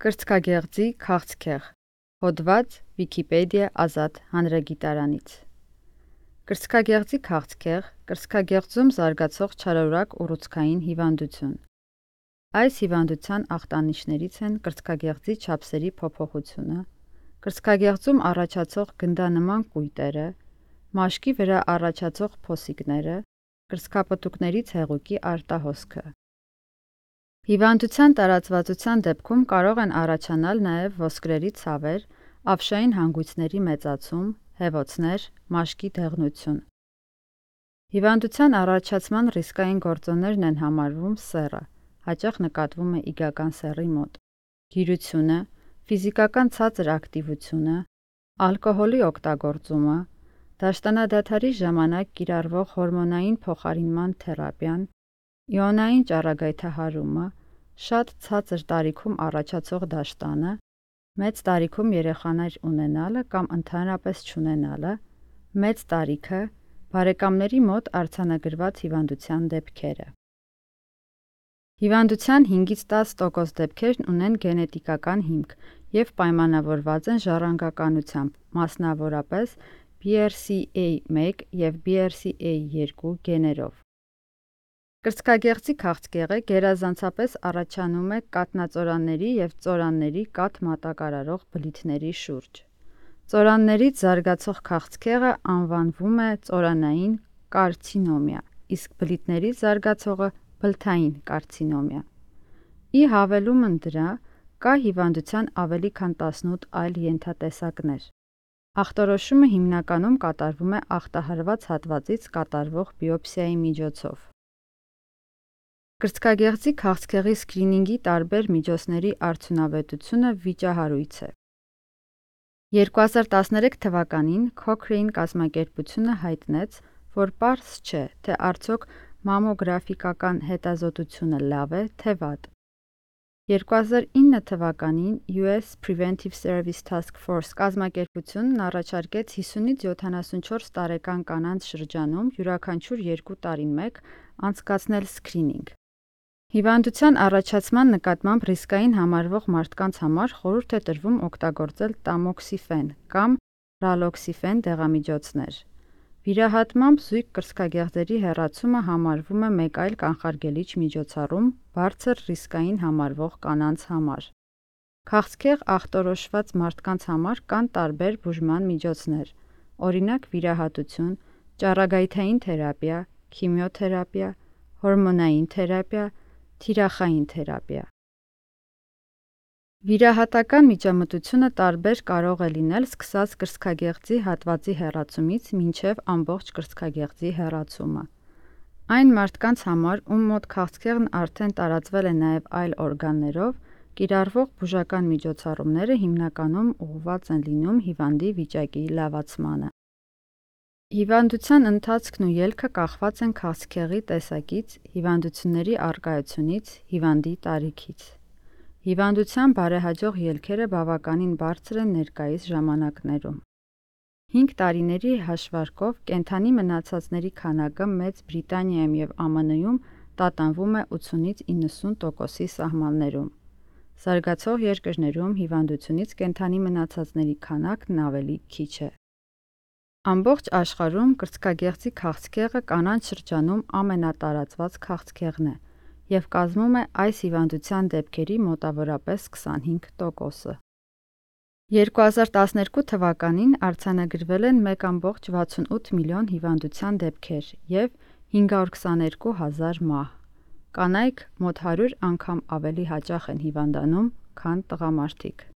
Կրծքագեղձի քաղցկեղ, հոդված Վիկիպեդիա ազատ հանրագիտարանից։ Կրծքագեղձի քաղցկեղ կրծքագեղձում զարգացող չարորակ ուռուցքային հիվանդություն։ Այս հիվանդության ախտանիշներից են կրծքագեղձի չափսերի փոփոխությունը, կրծքագեղձում առաջացող գնդանման կույտերը, մաշկի վրա առաջացող փոսիկները, կրծքապտուկներից հեղուկի արտահոսքը։ Հիվանդության տարածվածության դեպքում կարող են առաջանալ նաև ոսկրերի ցավեր, ավշային հանգույցների մեծացում, հեվոցներ, մաշկի դեղնություն։ Հիվանդության առաջացման ռիսկային գործոններն են համարվում սեռը, հաճախ նկատվում է իգական սեռի մոտ, գիրությունը, ֆիզիկական ցածր ակտիվությունը, ալկոհոլի օգտագործումը, դաշտանադադարի ժամանակ կիրառվող հորմոնային փոխարինման թերապիան, իոնային ճառագայթահարումը, շատ ցածր տարիքում առաջացող դաշտանը, մեծ տարիքում երեխաներ ունենալը կամ ընդհանրապես չունենալը, մեծ տարիքը, բարեկամների մոտ արձանագրված հիվանդության դեպքերը։ Հիվանդության 5-10% դեպքերն ունեն գենետիկական հիմք և պայմանավորված են ժառանգականությամբ, մասնավորապես BRCA1 և BRCA2 գեներով։ Կրծքագեղձի քաղցկեղը գերազանցապես առաջանում է կաթնածորանների և ծորանների կաթ մատակարարող բլիթների շուրջ։ Ծորաններից զարգացող քաղցկեղը անվանվում է ծորանային կարցինոմիա, իսկ բլիթներից զարգացողը բլթային կարցինոմիա։ Ի հավելումն դրա, կա հիվանդության ավելի քան 18 այլ ենթատեսակներ։ Ախտորոշումը հիմնականում կատարվում է ախտահարված հատվածից կատարվող բիոպսիայի միջոցով։ Կրծքագեղձի քաղցկեղի սքրինինգի տարբեր միջոցների արդյունավետությունը վիճահարույց է։ 2013 թվականին Cochrane կազմակերպությունը հայտնեց, որ պարզ չէ, թե արդյոք մամոգրաֆիկական հետազոտությունը լավ է, թե վատ։ 2009 թվականին US Preventive Service Task Force կազմակերպությունն առաջարկեց 50-ից 74 տարեկան կանանց շրջանում յուրաքանչյուր 2 տարին մեկ անցկացնել սքրինինգ։ Հիվանդության առաջացման նկատմամբ ռիսկային համարվող մարդկանց համար խորհուրդ է տրվում օգտագործել տամոքսիֆեն կամ ռալոքսիֆեն դեղամիջոցներ։ Վիրահատմամբ զույգ կրծքագեղձերի հեռացումը համարվում է մեկ այլ կանխարգելիչ միջոցառում բարձր ռիսկային համարվող կանանց համար։ Քաղցկեղ ախտորոշված մարդկանց համար կան տարբեր բուժման միջոցներ, օրինակ վիրահատություն, ճառագայթային թերապիա, քիմիոթերապիա, հորմոնային թերապիա, թիրախային թերապիա։ Վիրահատական միջամտությունը տարբեր կարող է լինել սկսած կրծքագեղձի հատվածի հեռացումից մինչև ամբողջ կրծքագեղձի հեռացումը։ Այն մարդկանց համար, ում մոտ քաղցկեղն արդեն տարածվել է նաև այլ օրգաններով, կիրառվող բուժական միջոցառումները հիմնականում ուղղված են լինում հիվանդի վիճակի լավացմանը։ Հիվանդության ընթացքն ու ելքը կախված են քաղցկեղի տեսակից, հիվանդությունների առկայությունից, հիվանդի տարիքից։ Հիվանդության բարեհաջող ելքերը բավականին բարձր են ներկայիս ժամանակներում։ 5 տարիների հաշվարկով կենդանի մնացածների քանակը Մեծ Բրիտանիայում և ԱՄՆ-ում տատանվում է 80-ից 90%-ի սահմաններում։ Զարգացող երկրներում հիվանդությունից կենդանի մնացածների քանակն ավելի քիչ է։ Ամբողջ աշխարհում կրծքագեղձի քաղցկեղը կանանց շրջանում ամենատարածված քաղցկեղն է և կազմում է այս հիվանդության դեպքերի մոտավորապես 25%-ը։ 2012 թվականին արձանագրվել են 1,68 միլիոն հիվանդության դեպքեր և 522 հազար մահ։ Կանայք մոտ 100 անգամ ավելի հաճախ են հիվանդանում, քան տղամարդիկ։